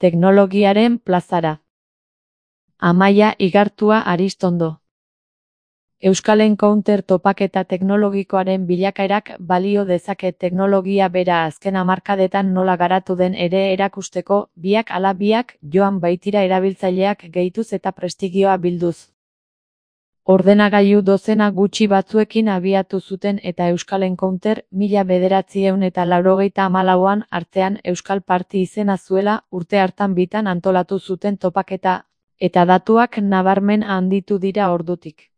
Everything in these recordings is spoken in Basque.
Teknologiaren plazara. Amaia Igartua Aristondo. Euskal Encounter topaketa teknologikoaren bilakaerak balio dezake teknologia bera azken hamarkadetan nola garatu den ere erakusteko, biak ala biak joan baitira erabiltzaileak gehituz eta prestigioa bilduz. Ordenagailu dozena gutxi batzuekin abiatu zuten eta Euskal Encounter 1994an artean Euskal Party izena zuela urte hartan bitan antolatu zuten topaketa, eta datuak nabarmen handitu dira ordutik.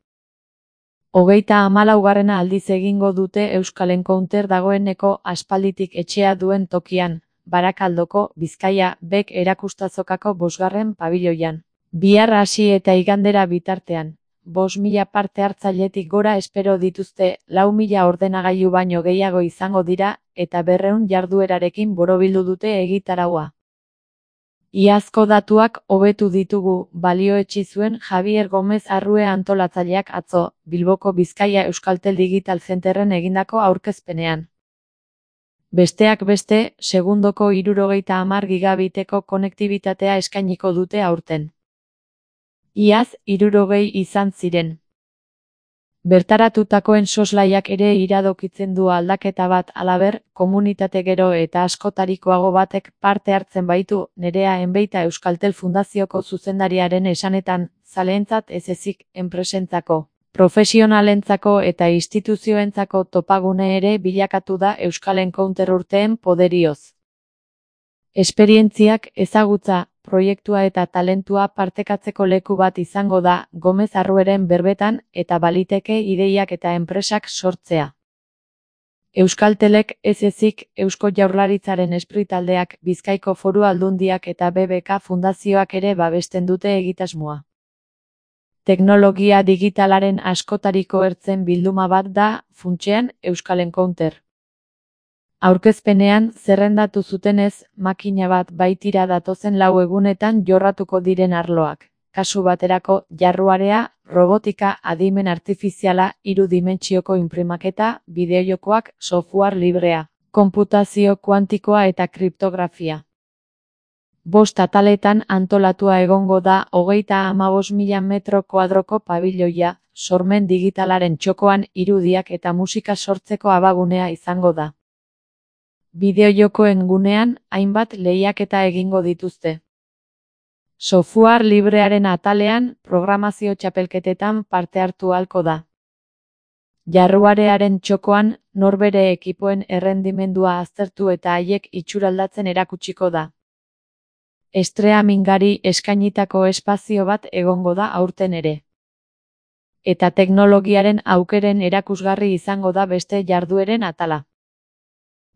34. aldiz egingo dute Euskal Encounter dagoeneko aspalditik etxea duen tokian, Barakaldoko, Bizkaia, Bek erakustazokako 5. pabiloian. Bihar hasi eta igandera bitartean. 5.000 parte hartzailetik gora espero dituzte, 4.000 ordenagailu baino gehiago izango dira, eta 200 jarduerarekin borobildu dute egitaraua. Iazko datuak hobetu ditugu, balioetsi zuen Javier Gomez Arrue antolatzaileak atzo, Bilboko Bizkaia Euskaltel Digital Centerren egindako aurkezpenean. Besteak beste, segundoko 70 gigabiteko konektibitatea eskainiko dute aurten. Iaz, 60 izan ziren. Bertaratutakoen soslaiak ere iradokitzen du aldaketa bat, halaber, komunitate gero eta askotarikoago batek parte hartzen baitu, Nerea Enbeita Euskaltel Fundazioko zuzendariaren esanetan, zaleentzat ez ezik, enpresentzako, profesionalentzako eta instituzioentzako topagune ere bilakatu da Euskal Encounter urteen poderioz. Esperientziak, ezagutza, proiektua eta talentua partekatzeko leku bat izango da, Gomez Arrueren berbetan, eta baliteke ideiak eta enpresak sortzea. Euskaltelek ez ezik, Eusko Jaurlaritzaren espritaldeak, Bizkaiko Foru Aldundiak eta BBK Fundazioak ere babesten dute egitasmoa. Teknologia digitalaren askotariko ertzen bilduma bat da, funtsean, Euskal Encounter. Aurkezpenean, zerrendatu zutenez, makina bat baitira datozen 4 egunetan jorratuko diren arloak. Kasu baterako, jarruarea, robotika, adimen artifiziala, 3 dimentsioko inprimaketa, bideojokoak, software librea, konputazio kuantikoa eta kriptografia. 5 ataletan antolatua egongo da 35.000 metro kuadroko pabiloia, sormen digitalaren txokoan irudiak eta musika sortzeko abagunea izango da. Bideojokoen gunean, hainbat lehiaketa egingo dituzte. Software librearen atalean, programazio txapelketetan parte hartu ahalko da. Jarruarearen txokoan, norbere ekipoen errendimendua aztertu eta haiek itxuraldatzen erakutsiko da. Streamingari eskainitako espazio bat egongo da aurten ere. Eta teknologiaren aukeren erakusgarri izango da beste jardueren atala.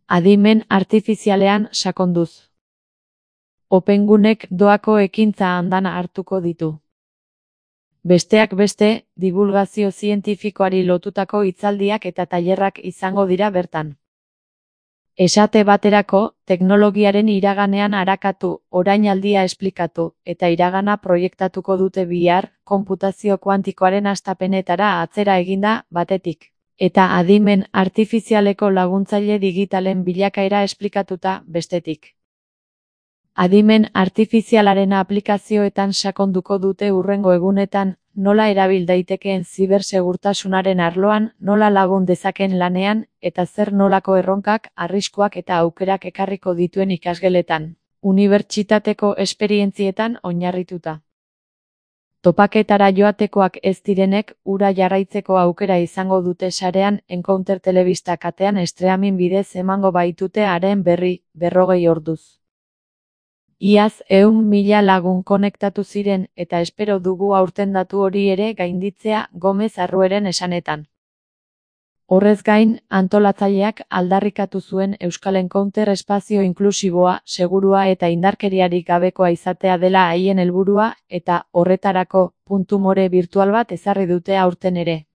Adimen artifizialean sakonduz. Opengunek doako ekintza andana hartuko ditu. Besteak beste, divulgazio zientifikoari lotutako hitzaldiak eta tailerrak izango dira bertan. Esate baterako, teknologiaren iraganean arakatu, orainaldia esplikatu, eta iragana proiektatuko dute bihar, konputazio kuantikoaren hastapenetara atzera eginda, batetik. Eta adimen artifizialeko laguntzaile digitalen bilakaera esplikatuta, bestetik. Adimen artifizialaren aplikazioetan sakonduko dute hurrengo egunetan, nola erabil daitekeen zibersegurtasunaren arloan, nola lagun dezaken lanean, eta zer nolako erronkak, arriskuak eta aukerak ekarriko dituen ikasgeletan, unibertsitateko esperientzietan oinarrituta. Topaketara joatekoak ez direnek, ura jarraitzeko aukera izango dute sarean, Encounter telebista katean streaming bidez emango baitute haren berri, 40 orduz. Iaz 100.000 lagun konektatu ziren, eta espero dugu aurten datu hori ere gainditzea, Gomez Arrueren esanetan. Horrez gain, antolatzaileak aldarrikatu zuen Euskal Encounter espazio inklusiboa, segurua eta indarkeriarik gabekoa izatea dela haien helburua, eta horretarako, puntu more birtual bat ezarri dute aurten ere.